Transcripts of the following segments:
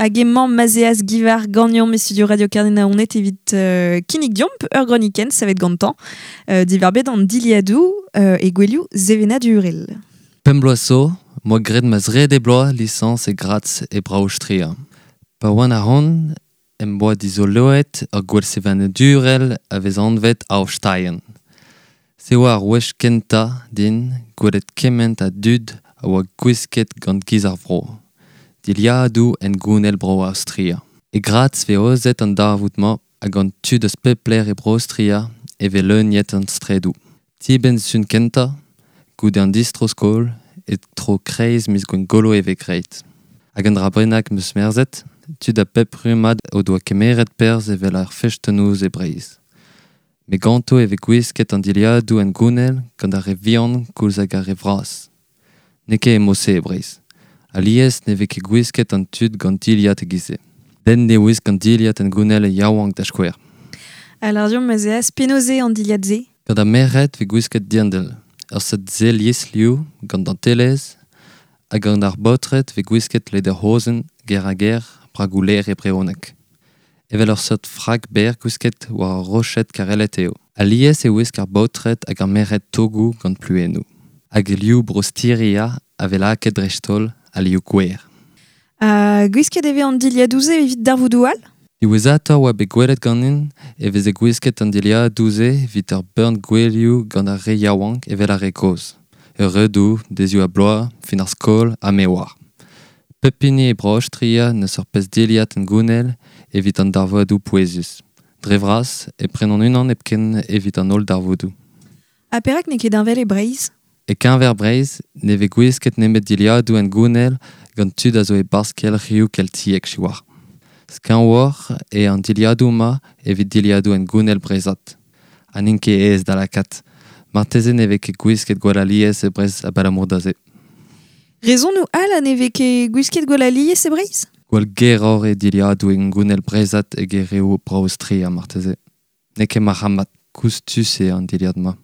Hag emañ Mazeaz Givar ganeomp e studio Radio Kerne-Naoned evit kinnig deomp ur gronikenn savet gantañ diwar-benn an dilhadoù e gouelioù sevenadurel. Pemp bloaz zo, 'moa graet ma zrede bloaz lisañs e Graz e Bro-Aostria. Pa oan ahont em boa dizoloet ur gwel sevenadurel a vez anvet Aufsteigen. Se oa ar wech kentañ din gwelet kement a dud a oa gwisket gant giz ar vro. Dilhadoù hengounel Bro-Aostria. E Graz 'vez aozet an darvoud-mañ ha gant tud eus pep lec'h e Bro-Aostria e vez leuniet an straedoù. Dibenn-sizhun kentañ, goude an distro-skol, e-tro kreiz miz Gwengolo e vez graet. Hag un dra bennak 'm eus merzet, tud a bep rummad o doa kemeret perzh evel ar fest-noz e Breizh. Met ganto e vez gwisket an dilhadoù hengounel gant ar re vihan koulz hag ar re vras. N'eo ket e-mod-se e Breizh. Alies ne vez ket gwisket an tud gant dilhad e-giz-se. Den ne wisk an dilhad hengounel e yaouank da skouer. Ha lâr deomp ez eas penaos eo an dilhad-se? Gant ar merc'hed 'vez gwisket dirndl, ur seurt sell liesliv gant dantelezh, ha gant ar baotred 'vez gwisket lederhosen, ger-ha-ger, bragoù-lêr e brezhoneg. Evel ur seurt frak berr gwisket war ur roched karellet eo. Alies e wisk ar baotred hag ar merc'hed togoù gant pluennoù. Hag liv Bro-Stiria a vez lakaet dreist-holl ha liv gwer. Ha gwisket e vez an dilhadoù-se evit darvoudoù all? Diwezhatoc'h oa bet gwelet ganin e veze gwisket an dilhadoù-se evit ur bern gouelioù gant ar re yaouank evel ar re kozh. Eureudoù, deizioù-ha-bloaz, fin ar skol ha me 'oar. Pep hini e Bro-Aostria n'eus ur pezh dilhad hengounel evit an darvoudoù pouezus. Dre vras e prenan unan hepken evit an holl darvoudoù. Ha perak n'eo ket heñvel e Breizh? E-keñver Breizh ne vez gwisket nemet dilhadoù hengounel gant tud a zo e-barzh kelc'hioù keltiek siwazh. Skañvoc'h eo an dilhadoù-mañ evit dilhadoù hengounel breizhat. Ha n'int ket aes da lakaat. Marteze ne vez ket gwisket gwall alies e Breizh abalamour da se. Rezonoù all ha ne vez ket gwisket gwall alies e Breizh? Gwall geroc'h eo dilhadoù hengounel breizhat eget reoù Bro-Aostria marteze. N'eo ket marc'hamat, koustus eo an dilhad-mañ.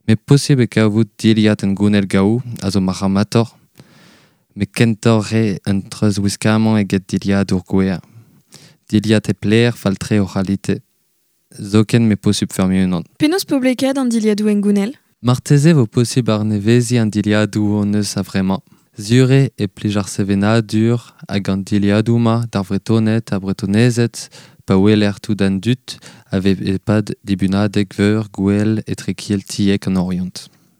Met posubl eo kavout dilhad hengounel gaou a zo marc'hamatoc'h, met kentoc'h re un treuzwiskamant eget dilhadoù gwer. Dilhad hep lêr fall-tre o c'halite. Zoken m'eo posubl feurmiñ unan. Penaos poblekaat an dilhadoù hengounel? Marteze e vo posubl arneveziñ an dilhadoù hon eus a-vremañ. Sur eo e plij ar sevenadur hag an dilhadoù-mañ d'ar Vretoned ha Bretonezed pa weler tout an dud a vez e-pad dibunadeg veur gouel etrekeltiek an Oriant.